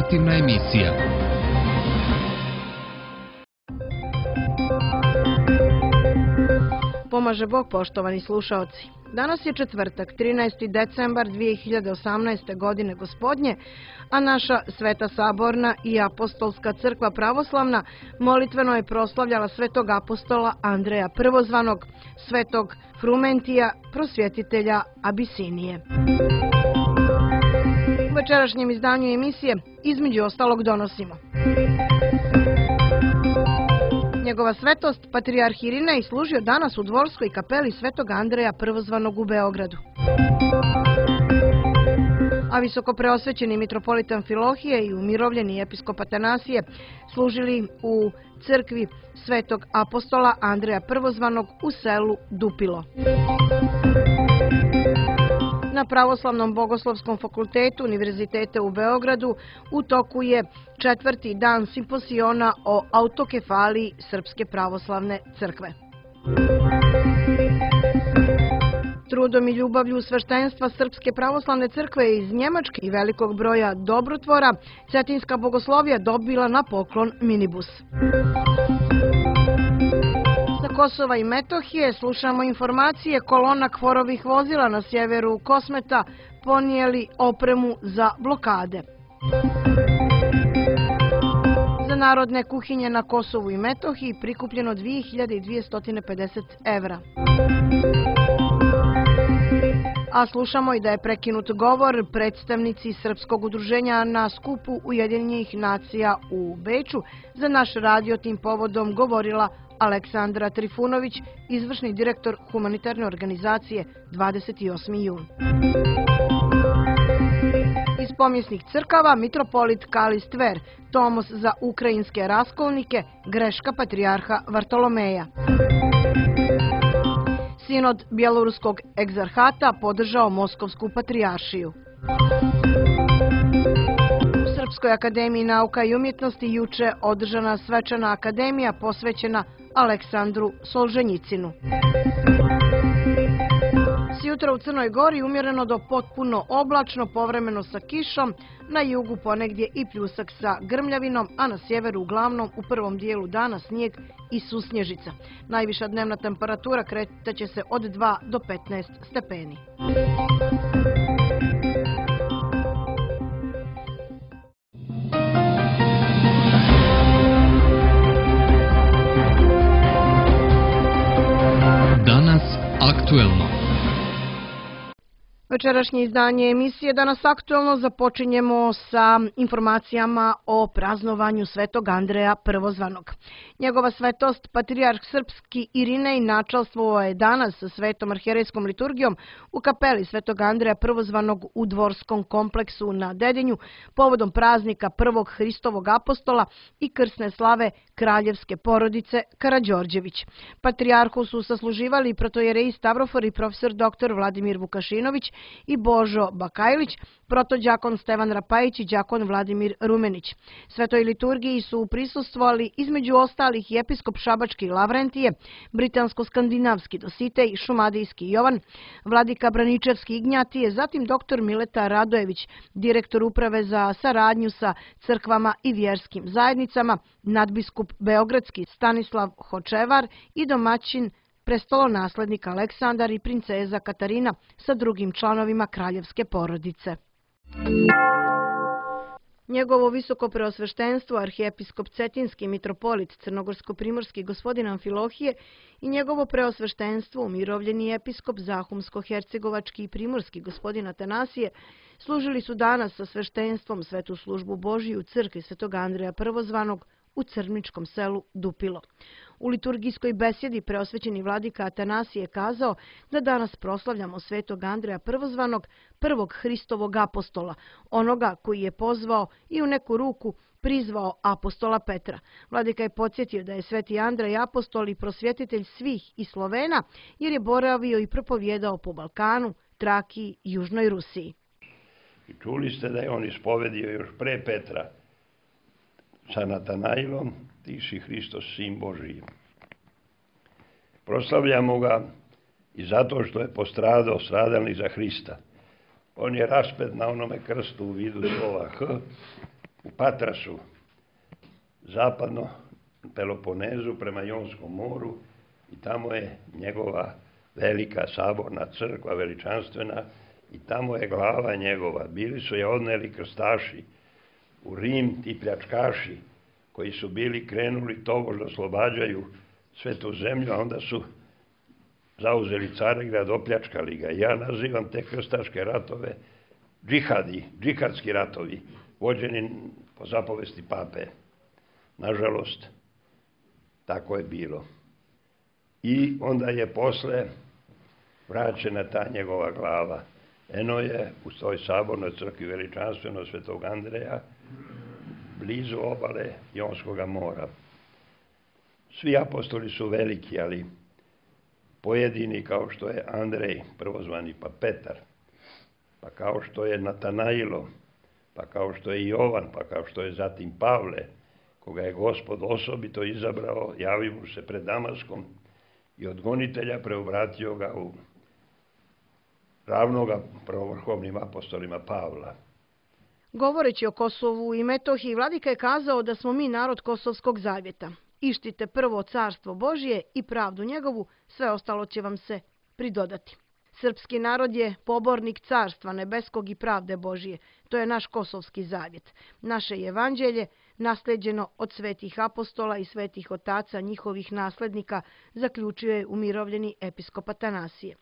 Informativna emisija. Pomaže Bog, poštovani slušaoci. Danas je četvrtak, 13. decembar 2018. godine gospodnje, a naša Sveta Saborna i Apostolska crkva pravoslavna molitveno je proslavljala svetog apostola Andreja Prvozvanog, svetog Frumentija, prosvjetitelja Abisinije. U večerašnjem izdanju emisije između ostalog donosimo: Njegova svetost, patrijarh Irinej, služio danas u dvorskoj kapeli svetog Andreja Prvozvanog u Beogradu. A visokopreosvećeni mitropolit Amfilohije i umirovljeni episkop Atanasije služili u crkvi svetog apostola Andreja Prvozvanog u selu Dupilo. Na Pravoslavnom bogoslovskom fakultetu Univerziteta u Beogradu u toku je četvrti dan simposiona o autokefaliji Srpske pravoslavne crkve. Trudom i ljubavlju sveštenstva Srpske pravoslavne crkve iz Njemačke i velikog broja dobrotvora, Cetinska bogoslovija dobila na poklon minibus. Sa Kosova i Metohije slušamo informacije: kolona kvorovih vozila na sjeveru Kosmeta ponijeli opremu za blokade. Za narodne kuhinje na Kosovu i Metohiji prikupljeno 2250 evra. A slušamo i da je prekinut govor predstavnici Srpskog udruženja na skupu Ujedinjenih nacija u Beču. Za naš radio tim povodom govorila Aleksandra Trifunović, izvršni direktor humanitarne organizacije 28. jun. Iz pomjesnih crkava mitropolit Kalist Ver, tomos za ukrajinske raskolnike, greška patrijarha Vartolomeja. Sinod Bjeloruskog egzarhata podržao Moskovsku patrijaršiju. U Srpskoj akademiji nauka i umjetnosti juče održana svečana akademija posvećena Aleksandru Solženjicinu. Sjutra u Crnoj Gori umjereno do potpuno oblačno, povremeno sa kišom, na jugu ponegdje i pljusak sa grmljavinom, a na sjeveru uglavnom u prvom dijelu dana snijeg i susnježica. Najviša dnevna temperatura kretaće se od 2 do 15 stepeni. Danas aktuelno. Večerašnje izdanje emisije Danas aktuelno započinjemo sa informacijama o praznovanju svetog Andreja Prvozvanog. Njegova svetost, patrijarh srpski Irinej, načalstvovao je danas sa svetom arhijerejskom liturgijom u kapeli svetog Andreja Prvozvanog u dvorskom kompleksu na Dedinju povodom praznika prvog Hristovog apostola i krsne slave kraljevske porodice Karađorđević. Patrijarhu su sasluživali protojereji Stavrofor i profesor dr. Vladimir Vukašinović i Božo Bakajlić, protođakon Stevan Rapajić i đakon Vladimir Rumenić. Svetoj liturgiji su prisustvovali između ostalih i episkop Šabački Lavrentije, britansko-skandinavski Dositej, šumadijski Jovan, vladika Braničevski Ignjatije, zatim dr. Mileta Radojević, direktor uprave za saradnju sa crkvama i vjerskim zajednicama, nadbiskup Beogradski Stanislav Hočevar i domaćin prestolonaslednik Aleksandar i princeza Katarina sa drugim članovima kraljevske porodice. Njegovo visoko preosveštenstvo, arhijepiskop Cetinski mitropolit Crnogorsko-primorski gospodin Amfilohije i njegovo preosveštenstvo, umirovljeni episkop Zahumsko-hercegovački i primorski gospodin Atanasije, služili su danas sa sveštenstvom svetu službu Božiju u crkvi svetog Andreja Prvozvanog u crničkom selu Dupilo. U liturgijskoj besjedi preosvećeni vladika Atanasije kazao da danas proslavljamo svetog Andreja Prvozvanog, prvog Hristovog apostola, onoga koji je pozvao i u neku ruku prizvao apostola Petra. Vladika je podsjetio da je sveti Andrej apostol i prosvjetitelj svih i Slovena, jer je boravio i propovjedao po Balkanu, Trakiji i Južnoj Rusiji. I čuli ste da je on ispovedio još pre Petra sa Natanailom: ti si Hristos, sin Božiji. Proslavljamo ga i zato što je postradao stradalnik za Hrista. On je raspet na onome krstu u vidu slova H u Patrasu, zapadno Peloponezu prema Jonskom moru, i tamo je njegova velika saborna crkva, veličanstvena, i tamo je glava njegova. Bili su je odneli krstaši u Rim, ti pljačkaši koji su bili krenuli tobož da oslobađaju svetu zemlju, a onda su zauzeli Carigrad, opljačkali ga. Ja nazivam te krstaške ratove džihadski ratovi, vođeni po zapovesti pape. Nažalost, tako je bilo. I onda je posle vraćena ta njegova glava. Eno je u toj sabornoj crkvi veličanstveno Svetog Andreja, blizu obale Jonskog mora. Svi apostoli su veliki, ali pojedini kao što je Andrej, prvozvani, pa Petar, pa kao što je Natanailo, pa kao što je Jovan, pa kao što je zatim Pavle, koga je Gospod osobito izabrao, javio mu se pred Damaskom i od gonitelja preobratio ga u ravnoga prvovrhovnim apostolima Pavla. Govoreći o Kosovu i Metohiji, vladika je kazao da smo mi narod Kosovskog zavjeta. Ištite prvo carstvo Božje i pravdu njegovu, sve ostalo će vam se pridodati. Srpski narod je pobornik carstva nebeskog i pravde Božje. To je naš kosovski zavjet. Naše evanđelje, nasleđeno od svetih apostola i svetih otaca njihovih naslednika, zaključio je umirovljeni episkop Atanasije.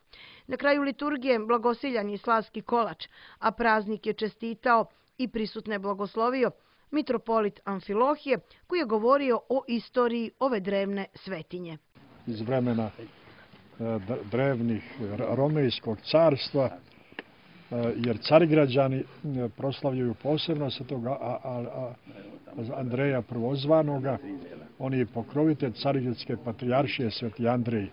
Na kraju liturgije blagosiljan je slavski kolač, a praznik je čestitao i prisutne blagoslovio mitropolit Amfilohije, koji je govorio o istoriji ove drevne svetinje. Iz vremena drevnih Romejskog carstva, jer Carigrađani proslavljaju posebno Svetog Andreja prvozvanoga. On je pokrovitelj Carigradske patrijaršije Sveti Andrej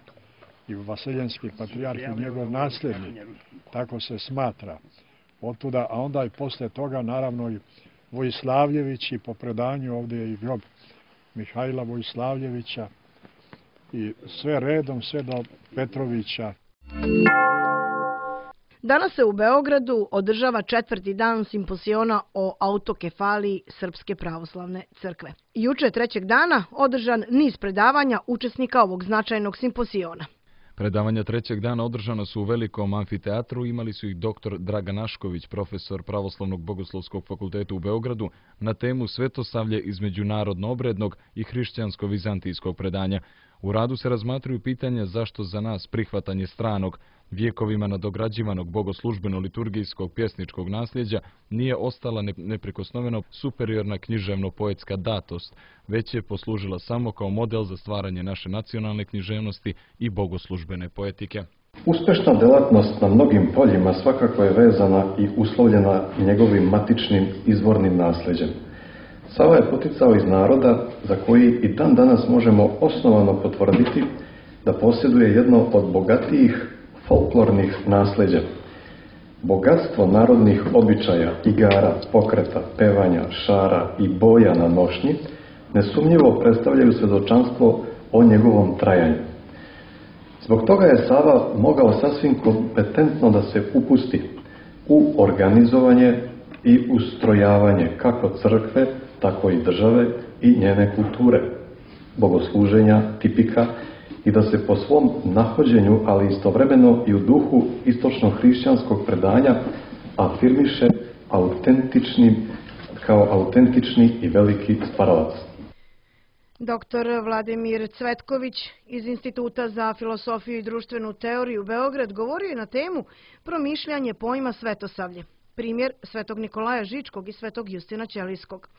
i vaseljenski patrijarh i njegov nasljednik. Tako se smatra. Otuda, a onda i posle toga naravno i Vojislavljević, i po predanju ovdje je i grob Mihajla Vojislavljevića, i sve redom, sve do Petrovića. Danas se u Beogradu održava 4. dan simpoziona o autokefaliji Srpske pravoslavne crkve. Juče 3. dana održan niz predavanja učesnika ovog značajnog simpoziona. Predavanja 3. dana održana su u velikom amfiteatru, imali su ih dr. Dragan Ašković, profesor Pravoslavnog bogoslovskog fakulteta u Beogradu, na temu Svetosavlje između narodno-obrednog i hrišćansko-vizantijskog predanja. U radu se razmatruju pitanja zašto za nas prihvatanje stranog, vjekovima nadograđivanog bogoslužbeno-liturgijskog pjesničkog nasljeđa nije ostala neprikosnoveno superiorna književno-poetska datost, već je poslužila samo kao model za stvaranje naše nacionalne književnosti i bogoslužbene poetike. Uspešna delatnost na mnogim poljima svakako je vezana i uslovljena njegovim matičnim izvornim nasljeđem. Sava je poticao iz naroda za koji i dan danas možemo osnovano potvrditi da posjeduje jedno od bogatijih folklornih nasljeđa. Bogatstvo narodnih običaja, igara, pokreta, pevanja, šara i boja na nošnji nesumnjivo predstavljaju svjedočanstvo o njegovom trajanju. Zbog toga je Sava mogao sasvim kompetentno da se upusti u organizovanje i ustrojavanje kako crkve, tako i države i njene kulture, bogosluženja, tipika, i da se po svom nahođenju, ali istovremeno i u duhu istočno-hrišćanskog predanja, afirmiše kao autentični i veliki stvaralac. Dr. Vladimir Cvetković iz Instituta za filosofiju i društvenu teoriju Beograd govorio je na temu promišljanje pojma svetosavlje. Primjer Svetog Nikolaja Žičkog i Svetog Justina Ćelijskog.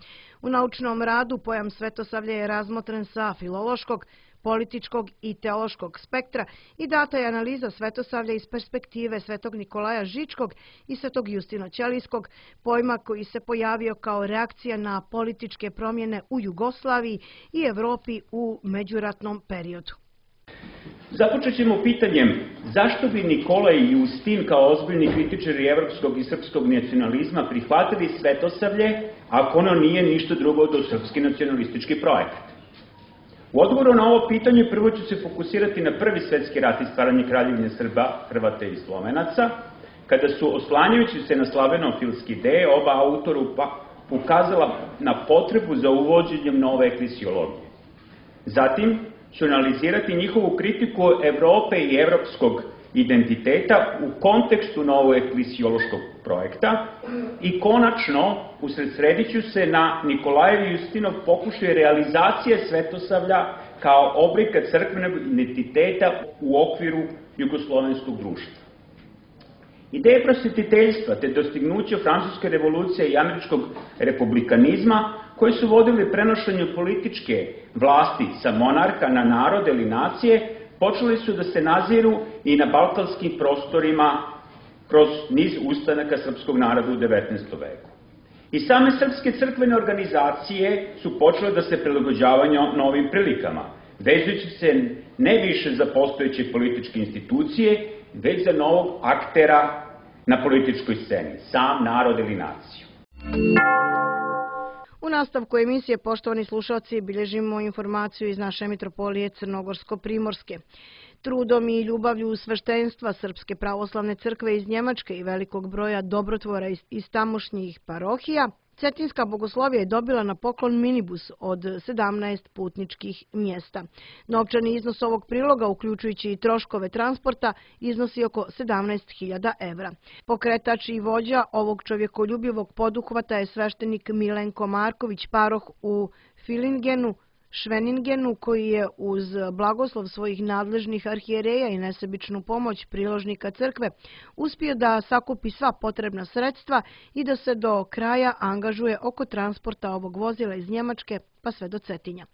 U naučnom radu pojam svetosavlje je razmotren sa filološkog, političkog i teološkog spektra i data je analiza svetosavlja iz perspektive Svetog Nikolaja Žičkog i Svetog Justina Ćelijskog, pojma koji se pojavio kao reakcija na političke promjene u Jugoslaviji i Evropi u međuratnom periodu. Započet ćemo pitanjem zašto bi Nikolaj i Justin kao ozbiljni kritičari evropskog i srpskog nacionalizma prihvatili svetosavlje ako ono nije ništa drugo do srpski nacionalistički projekat. U odgovoru na ovo pitanje prvo ću se fokusirati na Prvi svjetski rat i stvaranje Kraljevine Srba, Hrvata i Slovenaca, kada su oslanjajući se na slavenofilski ideje oba ukazala na potrebu za uvođenjem nove eklesiologije. Zatim ću analizirati njihovu kritiku Evrope i evropskog identiteta u kontekstu novog eklesiološkog projekta i konačno usredsredit ću se na Nikolajev i Justinov pokušaj realizacije svetosavlja kao oblika crkvenog identiteta u okviru jugoslovenskog društva. Ideje prosvetiteljstva te dostignuće Francuske revolucije i američkog republikanizma koji su vodili prenošenju političke vlasti sa monarha na narod ili nacije počeli su da se naziru i na balkanskim prostorima kroz niz ustanaka srpskog naroda u 19. veku. I same srpske crkvene organizacije su počele da se prilagođavaju novim prilikama, vezujući se ne više za postojeće političke institucije, već za novog aktera na političkoj sceni, sam narod ili naciju. U nastavku emisije, poštovani slušalci, bilježimo informaciju iz naše mitropolije Crnogorsko-Primorske. Trudom i ljubavlju sveštenstva Srpske pravoslavne crkve iz Njemačke i velikog broja dobrotvora iz tamošnjih parohija, Cetinska bogoslovija je dobila na poklon minibus od 17 putničkih mjesta. Novčani iznos ovog priloga, uključujući i troškove transporta, iznosi oko 17.000 evra. Pokretač i vođa ovog čovjekoljubivog poduhvata je sveštenik Milenko Marković, paroh u Filingenu, Šveningenu, koji je uz blagoslov svojih nadležnih arhijereja i nesebičnu pomoć priložnika crkve uspio da sakupi sva potrebna sredstva i da se do kraja angažuje oko transporta ovog vozila iz Njemačke pa sve do Cetinja.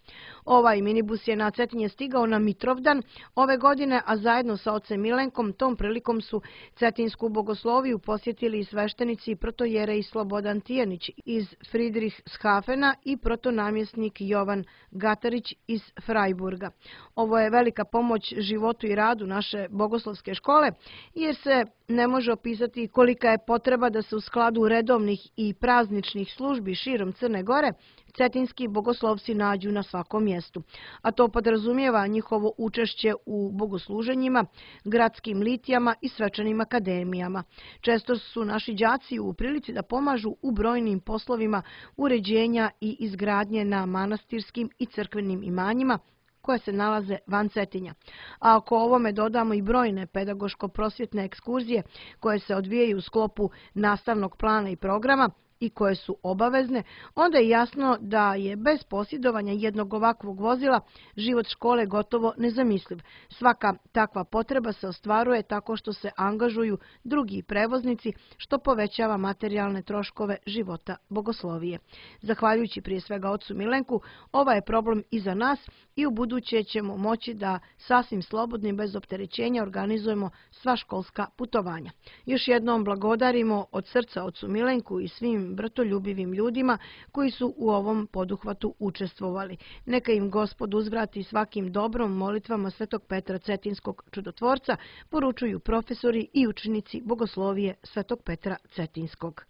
Ovaj minibus je na Cetinje stigao na Mitrovdan ove godine, a zajedno sa ocem Milenkom tom prilikom su Cetinsku bogosloviju posjetili i sveštenici protojerej Slobodan Tijanić iz Friedrichshafena i protonamjesnik Jovan Gatarić iz Freiburga. Ovo je velika pomoć životu i radu naše bogoslovske škole, jer se ne može opisati kolika je potreba da se u skladu redovnih i prazničnih službi širom Crne Gore cetinski bogoslovci nađu na svakom mjestu, a to podrazumijeva njihovo učešće u bogosluženjima, gradskim litijama i svečanim akademijama. Često su naši đaci u prilici da pomažu u brojnim poslovima uređenja i izgradnje na manastirskim i crkvenim imanjima koje se nalaze van Cetinja. A ako ovome dodamo i brojne pedagoško-prosvjetne ekskurzije koje se odvijaju u sklopu nastavnog plana i programa i koje su obavezne, onda je jasno da je bez posjedovanja jednog ovakvog vozila život škole gotovo nezamisliv. Svaka takva potreba se ostvaruje tako što se angažuju drugi prevoznici, što povećava materijalne troškove života bogoslovije. Zahvaljujući prije svega ocu Milenku, ovaj je problem i za nas i u buduće ćemo moći da sasvim slobodno i bez opterećenja organizujemo sva školska putovanja. Još jednom blagodarimo od srca ocu Milenku i svim bratoljubivim ljudima koji su u ovom poduhvatu učestvovali. Neka im Gospod uzvrati svakim dobrom molitvama Svetog Petra Cetinskog čudotvorca, poručuju profesori i učenici bogoslovije Svetog Petra Cetinskog.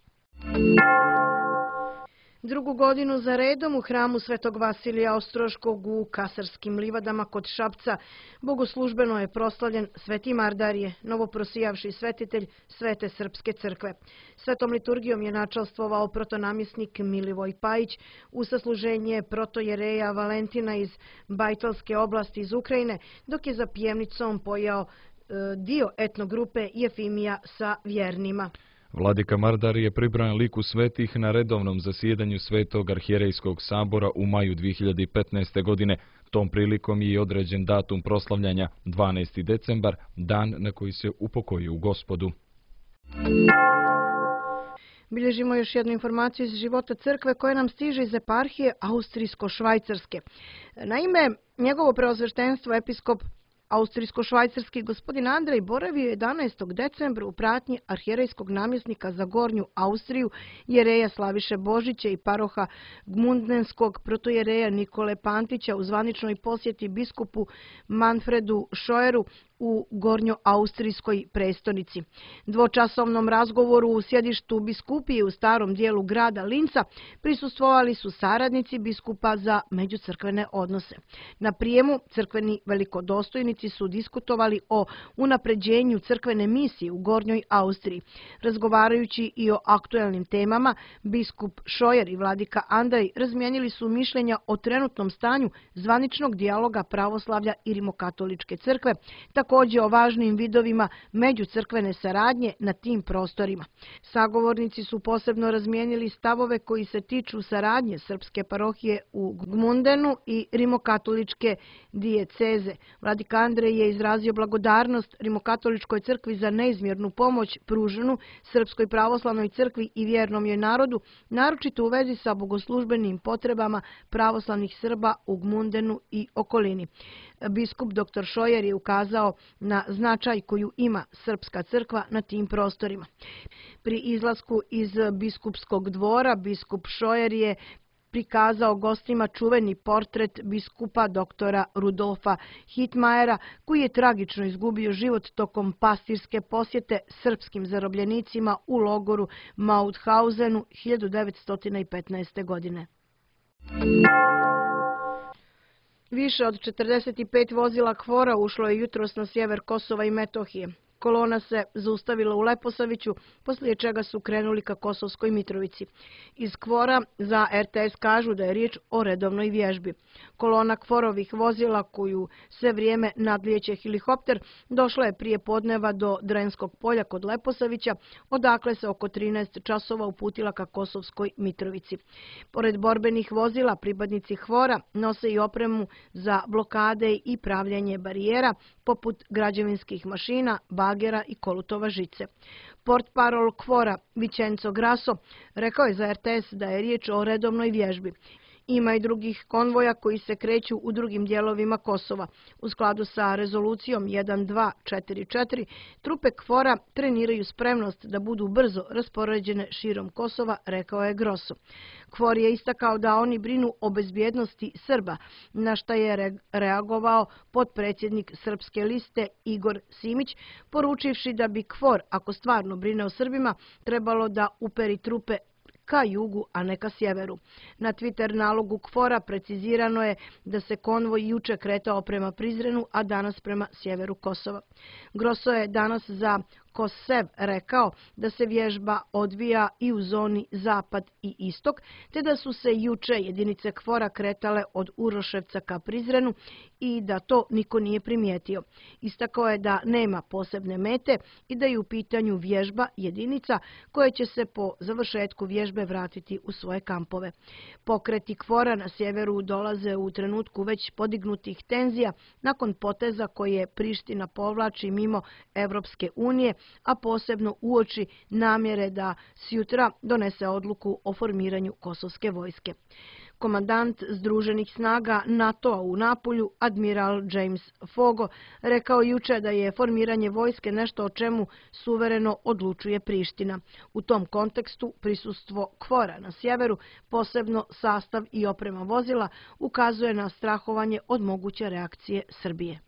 Drugu godinu za redom u hramu Svetog Vasilija Ostroškog u Kasarskim livadama kod Šapca bogoslužbeno je proslavljen Sveti Mardarije, novoprosijavši svetitelj Svete Srpske crkve. Svetom liturgijom je načalstvovao protonamjesnik Milivoj Pajić u sasluženje protojereja Valentina iz Bajtalske oblasti iz Ukrajine, dok je za pjevnicom pojao dio etnogrupe Jefimija sa vjernima. Vladika Mardar je pribran liku svetih na redovnom zasjedanju Svetog arhijerejskog sabora u maju 2015. godine. Tom prilikom je određen datum proslavljanja 12. decembar, dan na koji se upokojio u Gospodu. Bilježimo još jednu informaciju iz života crkve koja nam stiže iz eparhije Austrijsko-Švajcarske. Naime, njegovo preosveštenstvo episkop Austrijsko-švajcarski gospodin Andrej boravio 11. decembra u pratnji arhijerejskog namjesnika za Gornju Austriju, jereja Slaviše Božića i paroha Gmundnenskog protojereja Nikole Pantića u zvaničnoj posjeti biskupu Manfredu Šojeru u gornjoaustrijskoj prestonici. Dvočasovnom razgovoru u sjedištu biskupije u starom dijelu grada Linca prisustvovali su saradnici biskupa za međucrkvene odnose. Na prijemu crkveni velikodostojnici su diskutovali o unapređenju crkvene misije u Gornjoj Austriji. Razgovarajući i o aktuelnim temama, biskup Šojer i vladika Andrej razmijenili su mišljenja o trenutnom stanju zvaničnog dijaloga pravoslavlja i rimokatoličke crkve, također o važnim vidovima međucrkvene saradnje na tim prostorima. Sagovornici su posebno razmijenili stavove koji se tiču saradnje srpske parohije u Gmundenu i rimokatoličke dijeceze. Vladika Andrej je izrazio blagodarnost rimokatoličkoj crkvi za neizmjernu pomoć pruženu Srpskoj pravoslavnoj crkvi i vjernom joj narodu, naročito u vezi sa bogoslužbenim potrebama pravoslavnih Srba u Gmundenu i okolini. Biskup dr. Šojer je ukazao na značaj koju ima srpska crkva na tim prostorima. Pri izlasku iz biskupskog dvora, biskup Šojer je prikazao gostima čuveni portret biskupa doktora Rudolfa Hitmajera, koji je tragično izgubio život tokom pastirske posjete srpskim zarobljenicima u logoru Mauthausenu 1915. godine. Više od 45 vozila KFOR-a ušlo je jutros na sjever Kosova i Metohije. Kolona se zaustavila u Leposaviću, poslije čega su krenuli ka Kosovskoj Mitrovici. Iz KFOR-a za RTS kažu da je riječ o redovnoj vježbi. Kolona KFOR-ovih vozila, koju sve vrijeme nadlijeće helikopter, došla je prije podneva do Drenskog polja kod Leposavića, odakle se oko 13 časova uputila ka Kosovskoj Mitrovici. Pored borbenih vozila, pripadnici KFOR-a nose i opremu za blokade i pravljanje barijera, poput građevinskih mašina, bagera i kolutova žice. Portparol KFOR-a Vicenzo Grasso rekao je za RTS da je riječ o redovnoj vježbi. Ima i drugih konvoja koji se kreću u drugim dijelovima Kosova. U skladu sa rezolucijom 1244, trupe KFOR-a treniraju spremnost da budu brzo raspoređene širom Kosova, rekao je Grosso. KFOR je istakao da oni brinu o bezbjednosti Srba, na šta je reagovao potpredsjednik Srpske liste Igor Simić, poručivši da bi KFOR, ako stvarno brine o Srbima, trebalo da uperi trupe ka jugu, a ne ka sjeveru. Na Twitter nalogu KFOR-a precizirano je da se konvoj juče kretao prema Prizrenu, a danas prema sjeveru Kosova. Grosso je danas za Kosev rekao da se vježba odvija i u zoni zapad i istok, te da su se juče jedinice KFOR-a kretale od Uroševca ka Prizrenu i da to niko nije primijetio. Istakao je da nema posebne mete i da je u pitanju vježba jedinica koje će se po završetku vježbe vratiti u svoje kampove. Pokreti KFOR-a na sjeveru dolaze u trenutku već podignutih tenzija nakon poteza koje Priština povlači mimo Evropske unije, a posebno uoči namjere da sjutra donese odluku o formiranju kosovske vojske. Komandant Združenih snaga NATO-a u Napolju, admiral James Fogo, rekao juče da je formiranje vojske nešto o čemu suvereno odlučuje Priština. U tom kontekstu prisustvo KFOR-a na sjeveru, posebno sastav i oprema vozila, ukazuje na strahovanje od moguće reakcije Srbije.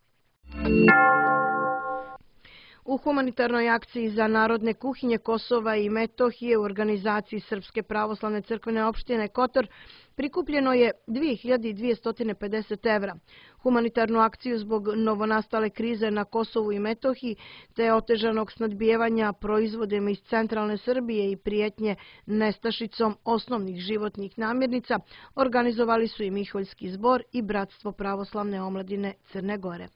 U humanitarnoj akciji za narodne kuhinje Kosova i Metohije u organizaciji Srpske pravoslavne crkvene opštine Kotor prikupljeno je 2250 evra. Humanitarnu akciju zbog novonastale krize na Kosovu i Metohiji te otežanog snadbijevanja proizvodima iz centralne Srbije i prijetnje nestašicom osnovnih životnih namirnica organizovali su i Miholjski zbor i Bratstvo pravoslavne omladine Crne Gore.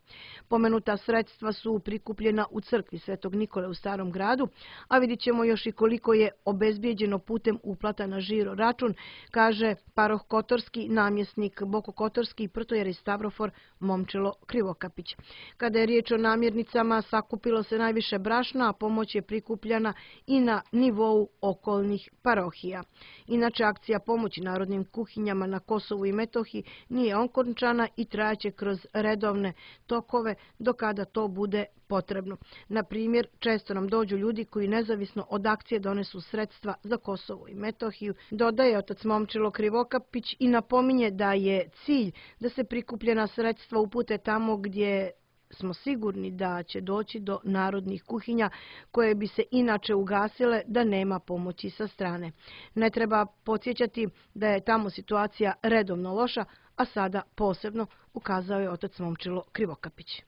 Pomenuta sredstva su prikupljena u crkvi Svetog Nikole u Starom gradu, a vidit ćemo još i koliko je obezbijeđeno putem uplata na žiro račun, kaže paroh Kotorski, namjesnik Boko Kotorski i protojeri Stavrofor Momčilo Krivokapić. Kada je riječ o namirnicama, sakupilo se najviše brašna, a pomoć je prikupljena i na nivou okolnih parohija. Inače, akcija pomoći narodnim kuhinjama na Kosovu i Metohiji nije okončana i trajaće kroz redovne tokove do kada to bude potrebno. Na primjer, često nam dođu ljudi koji nezavisno od akcije donesu sredstva za Kosovo i Metohiju, dodaje otac Momčilo Krivokapić i napominje da je cilj da se prikupljena sredstva upute tamo gdje smo sigurni da će doći do narodnih kuhinja koje bi se inače ugasile da nema pomoći sa strane. Ne treba podsjećati da je tamo situacija redovno loša, a sada posebno, ukazao je otac Momčilo Krivokapić.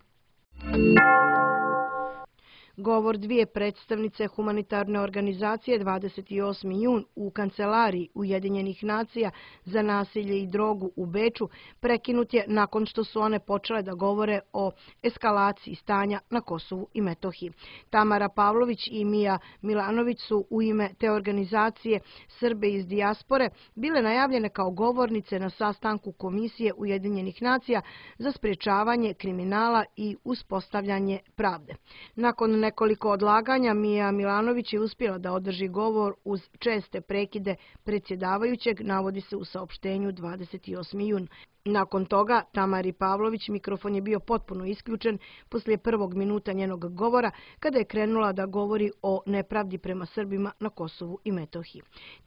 Govor dvije predstavnice humanitarne organizacije 28. jun u kancelariji Ujedinjenih nacija za nasilje i drogu u Beču prekinut je nakon što su one počele da govore o eskalaciji stanja na Kosovu i Metohiji. Tamara Pavlović i Mija Milanović su u ime te organizacije Srbe iz dijaspore bile najavljene kao govornice na sastanku Komisije Ujedinjenih nacija za sprječavanje kriminala i uspostavljanje pravde. Nakon nekoliko odlaganja Mija Milanović je uspjela da održi govor uz česte prekide predsjedavajućeg, navodi se u saopštenju 28. jun. Nakon toga Tamari Pavlović mikrofon je bio potpuno isključen poslije prvog minuta njenog govora kada je krenula da govori o nepravdi prema Srbima na Kosovu i Metohiji.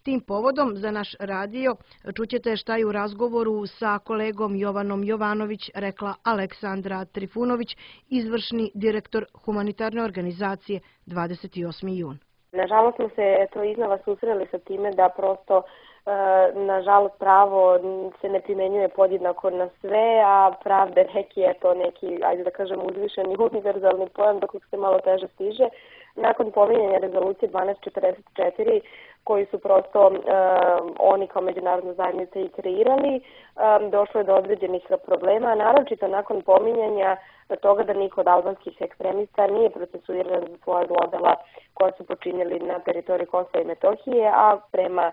Tim povodom za naš radio čućete šta je u razgovoru sa kolegom Jovanom Jovanović rekla Aleksandra Trifunović, izvršni direktor humanitarne organizacije 28. jun. Nažalost smo se iznova susreli sa time da prosto nažalost pravo se ne primenjuje podjednako na sve, a pravda je neki, ajde da kažem, uzvišeni univerzalni pojam do kojeg se malo teže stiže. Nakon pominjanja rezolucije 1244, koji su prosto oni kao međunarodna zajednica i kreirali, došlo je do određenih problema, naročito nakon pominjanja toga da niko od albanskih ekstremista nije procesuiran za svoja zlodela koja su počinjeli na teritoriji Kosova i Metohije, a prema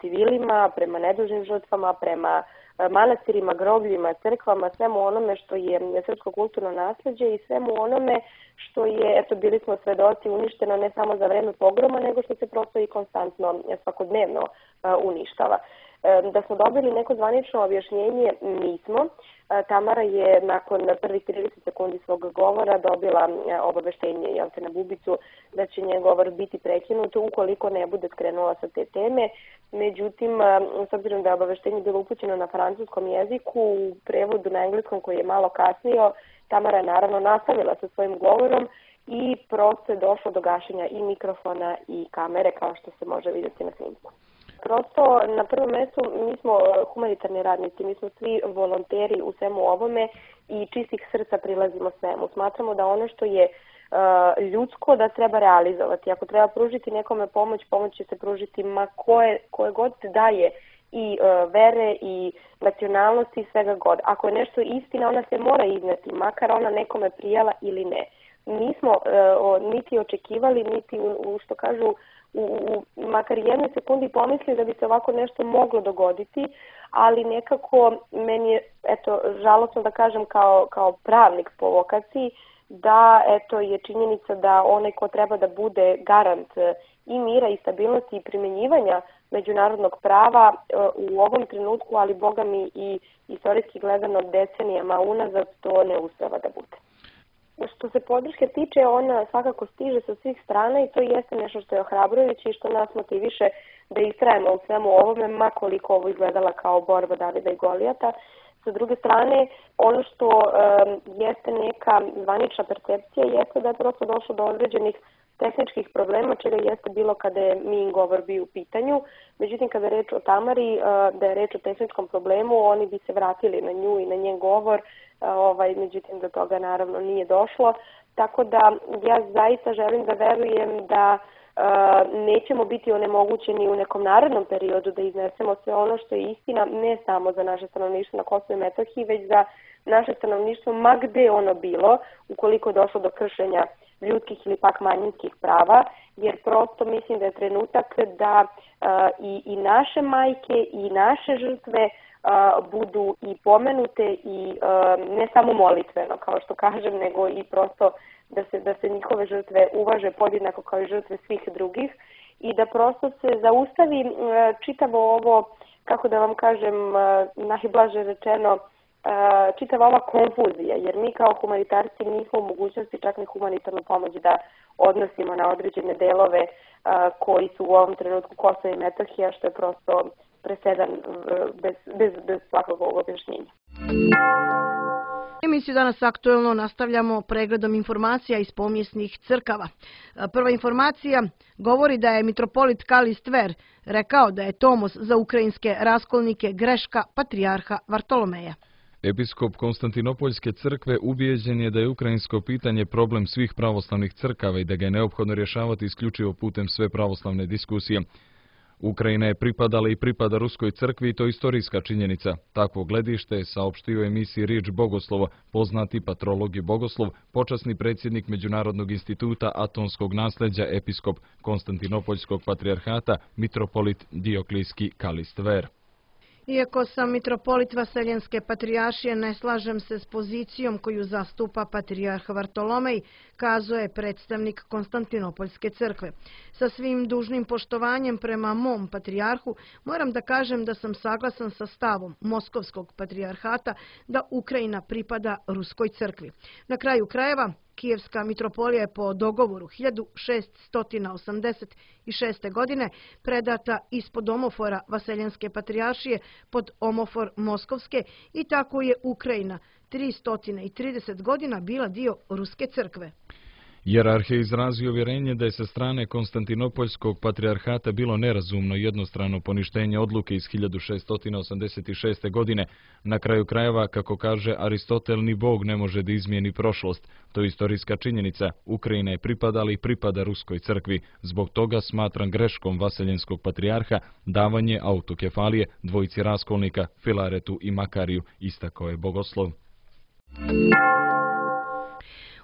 civilima, prema nedužnim žrtvama, prema manastirima, grobljima, crkvama, svemu onome što je srpsko kulturno nasleđe i svemu onome što je, bili smo svedoci, uništeno ne samo za vreme pogroma, nego što se prosto i konstantno, svakodnevno uništava. Da smo dobili neko zvanično objašnjenje, nismo. Tamara je nakon prvih 30 sekundi svog govora dobila obaveštenje na bubicu da će njen govor biti prekinut ukoliko ne bude skrenula sa te teme. Međutim, s obzirom da je obaveštenje bilo upućeno na francuskom jeziku, u prevodu na engleskom koji je malo kasnio, Tamara je naravno nastavila sa svojim govorom i prosto je došlo do gašenja i mikrofona i kamere, kao što se može vidjeti na snimku. Prosto, na prvom mjestu, mi smo humanitarni radnici, mi smo svi volonteri u svemu ovome i čistih srca prilazimo svemu. Smatramo da ono što je ljudsko da treba realizovati. Ako treba pružiti nekome pomoć, pomoć će se pružiti ma koje god daje i vere i nacionalnosti i svega god. Ako je nešto istina, ona se mora izneti, makar ona nekome prijala ili ne. Nismo niti očekivali, niti što kažu u makar jednoj sekundi pomislili da bi se ovako nešto moglo dogoditi, ali nekako meni je žalosno da kažem kao pravnik po vokaciji da je činjenica da onaj ko treba da bude garant i mira i stabilnosti i primjenjivanja međunarodnog prava u ovom trenutku, ali boga mi i istorijski gledano decenijama unazad, to ne uspeva da bude. Što se podrške tiče, ona svakako stiže sa svih strana i to jeste nešto što je ohrabrujuće i što nas motiviše da istrajemo u svemu ovome, ma koliko ovo izgledala kao borba Davida i Golijata. Sa druge strane, ono što jeste neka zvanična percepcija jeste da je prosto došlo do određenih tehničkih problema, čega jeste bilo kada je min govor bio u pitanju. Međutim, kada je reč o Tamari, da je reč o tehničkom problemu, oni bi se vratili na nju i na njen govor, međutim do toga naravno nije došlo. Tako da ja zaista želim da verujem da nećemo biti onemogućeni u nekom narednom periodu da iznesemo sve ono što je istina, ne samo za naše stanovništvo na Kosovu i Metohiji, već za naše stanovništvo ma gde ono bilo, ukoliko je došlo do kršenja ljudskih ili pak manjinskih prava, jer prosto mislim da je trenutak da i naše majke i naše žrtve budu i pomenute i ne samo molitveno, kao što kažem, nego i prosto da se njihove žrtve uvaže podjednako kao i žrtve svih drugih i da prosto se zaustavi čitavo ovo, kako da vam kažem, najblaže rečeno, čitava ova konfuzija, jer mi kao humanitarci nismo u mogućnosti čak ni humanitarnu pomoć da odnosimo na određene delove koji su u ovom trenutku Kosovo i Metohija, što je prosto presedan bez svakog objašnjenja. Emisiju Danas aktuelno nastavljamo pregledom informacija iz pomjesnih crkava. Prva informacija govori da je mitropolit Kalistver rekao da je tomos za ukrajinske raskolnike greška patrijarha Vartolomeja. Episkop Konstantinopoljske crkve ubijeđen je da je ukrajinsko pitanje problem svih pravoslavnih crkava i da ga je neophodno rješavati isključivo putem sve pravoslavne diskusije. Ukrajina je pripadala i pripada Ruskoj crkvi i to je istorijska činjenica. Takvo gledište je saopštio emisiji Riječ Bogoslovo, poznati patrolog i bogoslov, počasni predsjednik Međunarodnog instituta atonskog nasljeđa episkop Konstantinopoljskog patrijarhata mitropolit Dioklijski Kalistver. Iako sam mitropolit Vaseljenske patrijaršije, ne slažem se s pozicijom koju zastupa patrijarh Vartolomej, kazuje predstavnik Konstantinopoljske crkve. Sa svim dužnim poštovanjem prema mom patrijarhu, moram da kažem da sam saglasan sa stavom Moskovskog patrijarhata da Ukrajina pripada Ruskoj crkvi. Na kraju krajeva, Kijevska mitropolija je po dogovoru 1686. godine predata ispod omofora Vaseljenske patrijaršije pod omofor Moskovske i tako je Ukrajina 330 godina bila dio Ruske crkve. Jerarh je izrazio uvjerenje da je sa strane Konstantinopoljskog patrijarhata bilo nerazumno jednostrano poništenje odluke iz 1686. godine. Na kraju krajeva, kako kaže Aristotel, ni Bog ne može da izmijeni prošlost. To je istorijska činjenica. Ukrajina je pripadala i pripada Ruskoj crkvi. Zbog toga smatram greškom Vaseljenskog patrijarha davanje autokefalije dvojici raskolnika Filaretu i Makariju, istakao je bogoslov.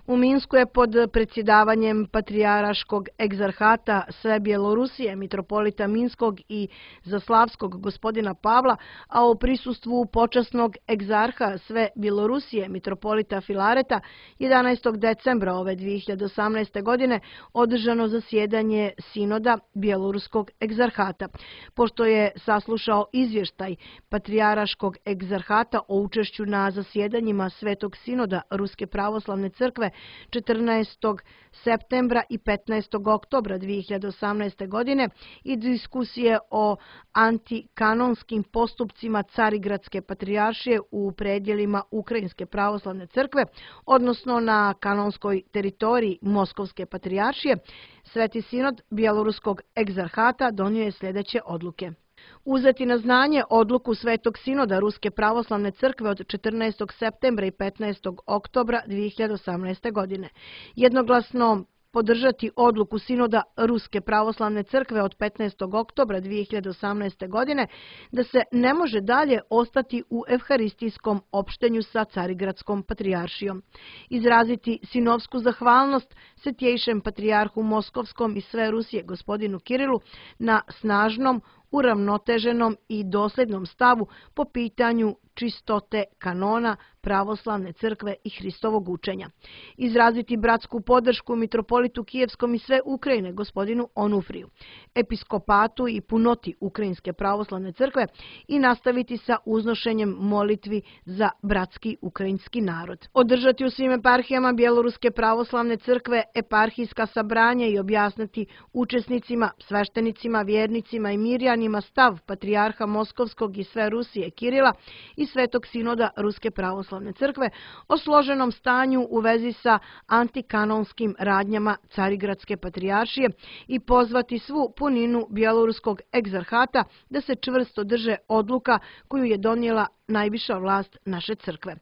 U Minsku je pod predsjedavanjem Patrijaraškog egzarhata sve Bjelorusije, mitropolita Minskog i Zaslavskog gospodina Pavla, a u prisustvu počasnog egzarha sve Bjelorusije, mitropolita Filareta, 11. decembra ove 2018. godine održano zasjedanje sinoda Bjeloruskog egzarhata. Pošto je saslušao izvještaj Patrijaraškog egzarhata o učešću na zasjedanjima Svetog sinoda Ruske pravoslavne crkve 14. septembra i 15. oktobra 2018. godine i diskusije o antikanonskim postupcima Carigradske patrijaršije u predjelima Ukrajinske pravoslavne crkve, odnosno na kanonskoj teritoriji Moskovske patrijaršije, Sveti sinod Bjeloruskog egzarhata donio je sljedeće odluke. Uzeti na znanje odluku Svetog sinoda Ruske pravoslavne crkve od 14. septembra i 15. oktobra 2018. godine. Jednoglasno podržati odluku sinoda Ruske pravoslavne crkve od 15. oktobra 2018. godine da se ne može dalje ostati u evharistijskom opštenju sa Carigradskom patrijaršijom. Izraziti sinovsku zahvalnost Svetjejšem patrijarhu Moskovskom i sve Rusije gospodinu Kirilu na snažnom, uravnoteženom i dosljednom stavu po pitanju čistote kanona pravoslavne crkve i Hristovog učenja. Izraziti bratsku podršku mitropolitu Kijevskom i sve Ukrajine gospodinu Onufriju, episkopatu i punoti Ukrajinske pravoslavne crkve i nastaviti sa uznošenjem molitvi za bratski ukrajinski narod. Održati u svim eparhijama Bjeloruske pravoslavne crkve eparhijska sabranja i objasniti učesnicima, sveštenicima, vjernicima i mirjanima stav patrijarha Moskovskog i sve Rusije Kirila i Svetog sinoda Ruske pravoslavne crkve o složenom stanju u vezi sa antikanonskim radnjama Carigradske patrijaršije i pozvati svu puninu Bjeloruskog egzarhata da se čvrsto drže odluka koju je donijela najviša vlast naše crkve.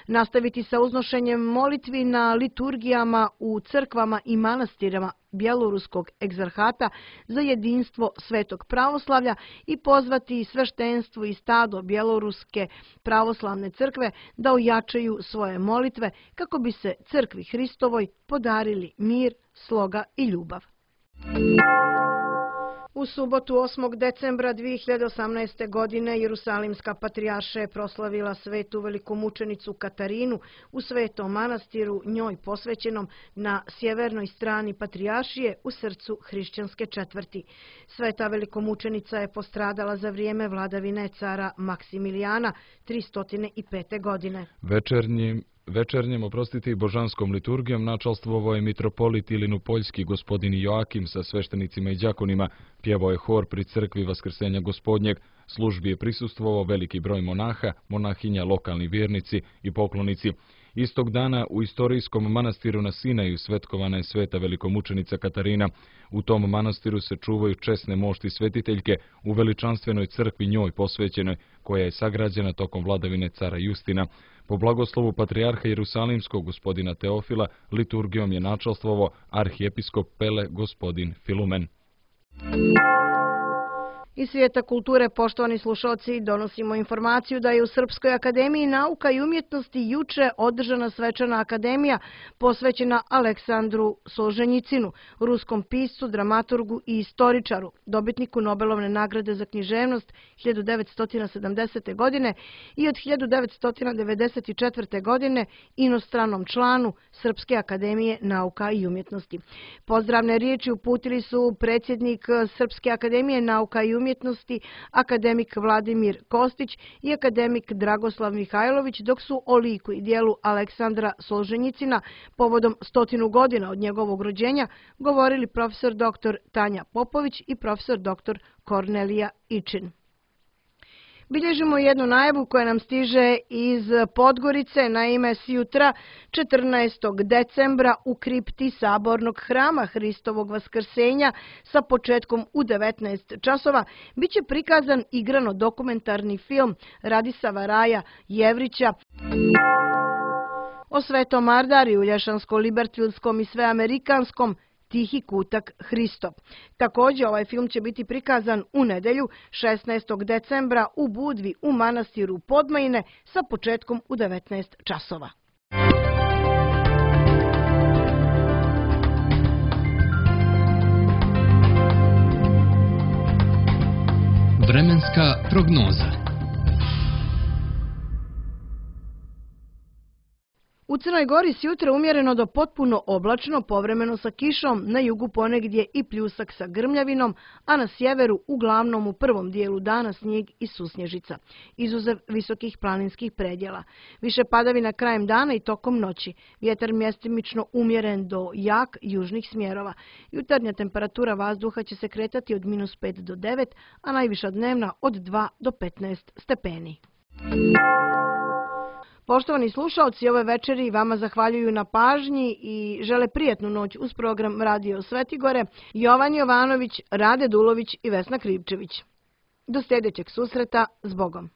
Nastaviti sa uznošenjem molitvi na liturgijama u crkvama i manastirama Bjeloruskog egzarhata za jedinstvo svetog pravoslavlja i pozvati sveštenstvo i stado Bjeloruske pravoslavne crkve da ojačaju svoje molitve kako bi se crkvi Hristovoj podarili mir, sloga i ljubav. U subotu 8. decembra 2018. godine Jerusalimska patrijaršija je proslavila svetu velikomučenicu Katarinu u svetom manastiru njoj posvećenom na sjevernoj strani patrijaršije u srcu hrišćanske četvrti. Sveta velikomučenica je postradala za vrijeme vladavine cara Maksimilijana 305. godine. Večernjem, i božanskom liturgijom načalstvovao je mitropolit Ilinopoljski gospodin Joakim sa sveštenicima i đakonima, pjevao je hor pri crkvi Vaskrsenja Gospodnjeg. Službi je prisustvovao veliki broj monaha, monahinja, lokalni vjernici i poklonici. Istog dana u istorijskom manastiru na Sinaju svetkovana je sveta velikomučenica Katarina. U tom manastiru se čuvaju česne mošti svetiteljke u veličanstvenoj crkvi njoj posvećenoj, koja je sagrađena tokom vladavine cara Justina. Po blagoslovu patrijarha Jerusalimskog gospodina Teofila, liturgijom je načalstvovao arhijepiskop Pele gospodin Filumen. Iz svijeta kulture, poštovani slušalci, donosimo informaciju da je u Srpskoj akademiji nauka i umjetnosti juče održana svečana akademija posvećena Aleksandru Solženjicinu, ruskom piscu, dramaturgu i istoričaru, dobitniku Nobelovne nagrade za književnost 1970. godine i od 1994. godine inostranom članu Srpske akademije nauka i umjetnosti. Pozdravne riječi uputili su predsjednik Srpske akademije nauka i umjetnosti, akademik Vladimir Kostić i akademik Dragoslav Mihajlović, dok su o liku i dijelu Aleksandra Solženjicina povodom 100 godina od njegovog rođenja govorili profesor dr. Tanja Popović i profesor dr. Kornelija Ičin. Bilježimo jednu najavu koja nam stiže iz Podgorice. Naime, sjutra 14. decembra u kripti Sabornog hrama Hristovog vaskrsenja sa početkom u 19 časova biće prikazan igrano-dokumentarni film Radisava Raja Jevrića o Svetom Ardariju, Lješansko-Libertvilskom i Sveamerikanskom Tihi kutak Hristov. Također ovaj film će biti prikazan u nedjelju 16. decembra u Budvi u manastiru Podmajine sa početkom u 19 časova. Vremenska prognoza. U Crnoj Gori sjutra umjereno do potpuno oblačno, povremeno sa kišom, na jugu ponegdje i pljusak sa grmljavinom, a na sjeveru uglavnom u prvom dijelu dana snijeg i susnježica, izuzev visokih planinskih predjela. Više padavina krajem dana i tokom noći. Vjetar mjestimično umjeren do jak južnih smjerova. Jutarnja temperatura vazduha će se kretati od -5 do 9, a najviša dnevna od 2 do 15 stepeni. Poštovani slušalci, ove večeri vama zahvaljuju na pažnji i žele prijatnu noć uz program Radio Svetigore Jovan Jovanović, Rade Dulović i Vesna Krivčević. Do sljedećeg susreta, s Bogom.